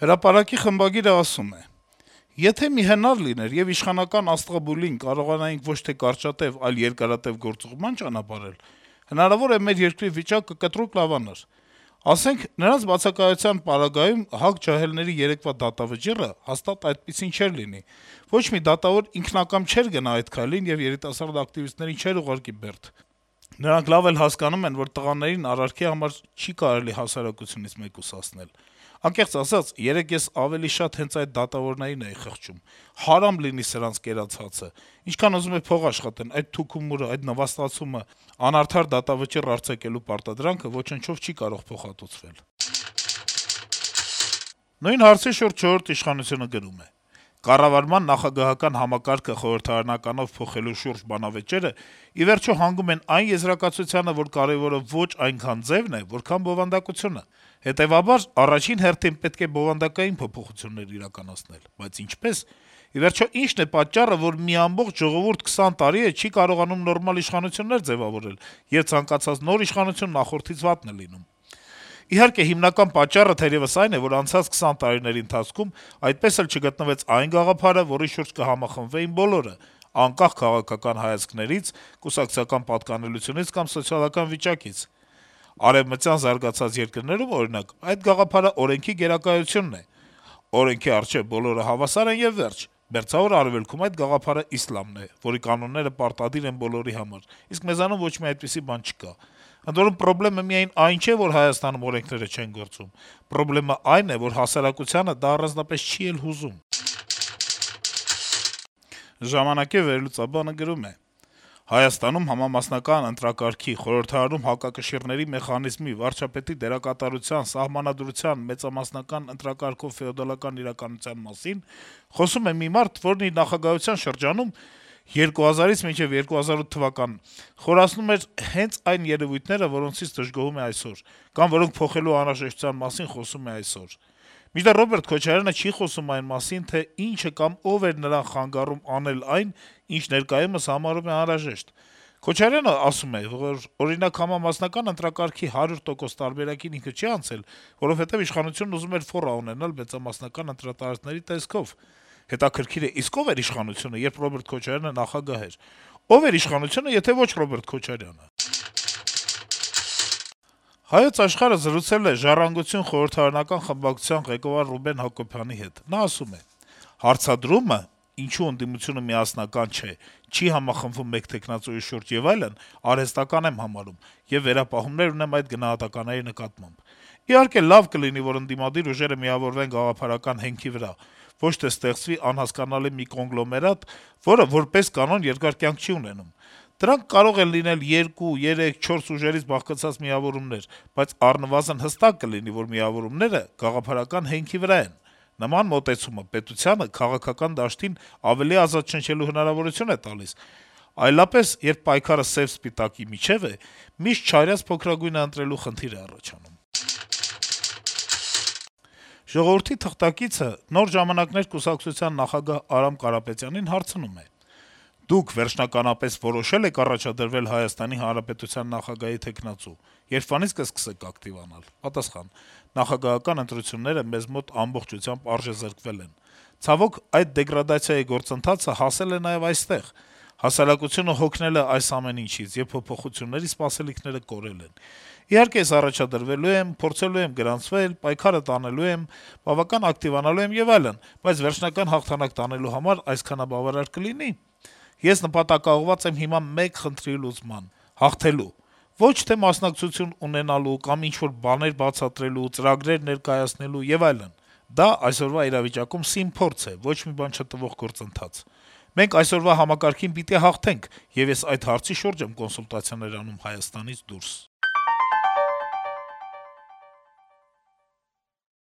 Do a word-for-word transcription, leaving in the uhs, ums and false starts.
Հրապարակի խմբագիրը ասում է. - «Եթե մի հնար լիներ եւ իշխանական աստղաբուլին կարողանայինք ոչ թե կարճատեւ, այլ երկարատեւ գործուղման ճանապարհել, հնարավոր է մեր երկրի վիճակը կտրուկ լավանար: Ասենք, նրանց բացակայության պարագայում ՀԱԿ ջահելների երեկվա դատավճիռը հաստատ այդպիսին չէր լինի: Ոչ մի դատավոր ինքնակամ չէր գնա այդ քայլին եւ երիտասարդ ակտիվիստներին չէր ուղարկի բերդ: Նրանք լավ էլ հասկանում են, որ տղաներին արարքի համար չի կարելի հասարակությունից մեկուսացնել: Անկեղծ ասած, երեկ ես ավելի շատ հենց այդ դատավորներին էի խղճում: Հարամ լինի սրանց կերած հացը: Ինչքան ուզում է փող աշխատեն, այդ թուքումուրը, այդ նվաստացումը, անարդար դատավճիռ արձակելու պարտադրանքը ոչնչով չի կարող փոխհատուցվել»: Նույն հարցի շուրջ «Չորրորդ ինքնիշխանություն»-ը գրում է. - «Կառավարման նախագահական համակարգը խորհրդարանականով փոխելու շուրջ բանավեճերը ի վերջո հանգում են այն եզրակացությանը, որ կարեւորը ոչ այնքան ձեւն է, որքան բովանդակությունը: Հետեւաբար, առաջին հերթին պետք է բովանդակային փոփոխություններ իրականացնել: Բայց ինչպե՞ս: Ի վերջո, ի՞նչն է պատճառը, որ մի ամբողջ ժողովուրդ քսան տարի է չի կարողանում նորմալ իշխանություններ ձեւավորել, եւ ցանկացած նոր իշխանություն նախորդից վատն է լինում: Իհարկե, հիմնական պատճառը թերեւս այն է, որ անցած քսան տարիների ընթացքում այդպես էլ չգտնվեց այն գաղափարը, որի շուրջ կհամախմբվեին բոլորը, անկախ քաղաքական հայացքներից, կուսակցական պատկանելությունից կամ սոցիալական վիճակից: Արեւմտյան զարգացած երկրներում, օրինակ, այդ գաղափարը օրենքի գերակայությունն է: Օրենքի առջեւ բոլորը հավասար են եւ վերջ: Մերձավոր Արեւելքում այդ գաղափարը իսլամն է, որի կանոնները պարտադիր են բոլորի համար, իսկ մեզանում ոչ մի այդպիսի բան չկա: Ընդ որում, պրոբլեմը միայն այն չէ, որ Հայաստանում օրենքները չեն գործում: Պրոբլեմը այն է, որ հասարակությանը դա առանձնապես չի էլ հուզում»: «Ժամանակ»-ի վերլուծաբանը գրում է. - «Հայաստանում համամասնական ընտրակարգի, խորհրդարանում հակակշիռների մեխանիզմի, վարչապետի դերակատարության, սահմանադրության, մեծամասնական ընտրակարգով ֆեոդալական իրականության մասին խոսում է մի մարդ, որն իր նախագահության շրջանում երկու հազարից մինչեւ երկու հազար ութ թվականն խորացնում էր հենց այն երեւույթները, որոնցից դժգոհում է այսօր, կամ որոնք փոխելու անհրաժեշտության մասին խոսում է այսօր: Մինչդեռ Ռոբերտ Քոչարյանը չի խոսում այն մասին, թե ինչը կամ ով էր նրան խանգարում անել այն, ինչ ներկայումս համարում է անհրաժեշտ: Քոչարյանը ասում է, որ, օրինակ, համամասնական ընտրակարգի հարյուր տոկոս տարբերակին ինքը չի անցել, որովհետեւ իշխանությունն ուզում էր «ֆոռ» ունենալ մեծամասնական ընտրատարածքների տեսքով: Հետաքրքիր է, իսկ ո՞վ էր իշխանությունը, երբ Ռոբերտ Քոչարյանը նախագահ էր: Ո՞վ էր իշխանությունը, եթե ոչ Ռոբերտ Քոչարյանը»: «Հայոց Աշխարհ»-ը զրուցել է «Ժառանգություն» խորհրդարանական խմբակցության ղեկավար Ռուբեն Հակոբյանի հետ: Նա ասում է. - «Հարցադրումը` ինչու ընդդիմությունը միասնական չէ, չի համախմբվում մեկ թեկնածուի շուրջ եւ այլն, արհեստական եմ համարում եւ վերապահումներ ունեմ այդ գնահատականների նկատմամբ: Իհարկե, լավ կլինի, որ ընդդիմադիր ուժերը միավորվեն գաղափարական հենքի վրա, ոչ թե ստեղծվի անհասկանալի մի կոնգլոմերատ, որը, որպես կանոն, երկար կյանք չի ունենում: Դրանք կարող են լինել երկու, երեք, չորս ուժերից բաղկացած միավորումներ, բայց առնվազն հստակ կլինի, որ միավորումները գաղափարական հենքի վրա են: Նման մոտեցումը պետությանը քաղաքական դաշտին ավելի ազատ շնչելու հնարավորություն է տալիս: Այլապես, երբ պայքարը սեւ-սպիտակի միջեւ է, միշտ չարյած փոքրագույնը ընտրելու խնդիր է առաջանում»: «Ժողովուրդ»-ի թղթակիցը «Նոր ժամանակներ» կուսակցության նախագահ Արամ Կարապետյանին հարցնում է. - «Դուք վերջնականապես որոշե՞լ եք առաջադրվել Հայաստանի Հանրապետության նախագահի թեկնածու, երբվանի՞ց կսկսեք ակտիվանալ»: Պատասխան. - «Նախագահական ընտրությունները մեզ մոտ ամբողջությամբ արժեզրկվել են: Ցավոք, այդ դեգրադացիայի գործընթացը հասել է նաեւ այստեղ: Հասարակությունը հոգնել է այս ամեն ինչից, եւ փոփոխությունների սպասելիքները կորել են: Իհարկե, ես առաջադրվելու եմ, փորձելու եմ գրանցվել, պայքարը տանելու եմ, բավական ակտիվանալու եմ եւ այլն, բայց վերջնական հաղթանակ տանելու համար այսքանը բավարար կլինի՞: Ես նպատակաուղղված եմ հիմա մեկ խնդրի լուծման` հաղթելու: Ոչ թե մասնակցություն ունենալու կամ ինչ-որ բաներ բացատրելու, ծրագրեր ներկայացնելու եւ այլն: Դա այսօրվա իրավիճակում սիմփորձ է, ոչ մի բան չտվող գործընթաց: Մենք այսօրվա համակարգին պիտի հաղթենք, եւ ես այդ հարցի շուրջ եմ կոնսուլտացիաներ անում Հայաստանից դուրս»: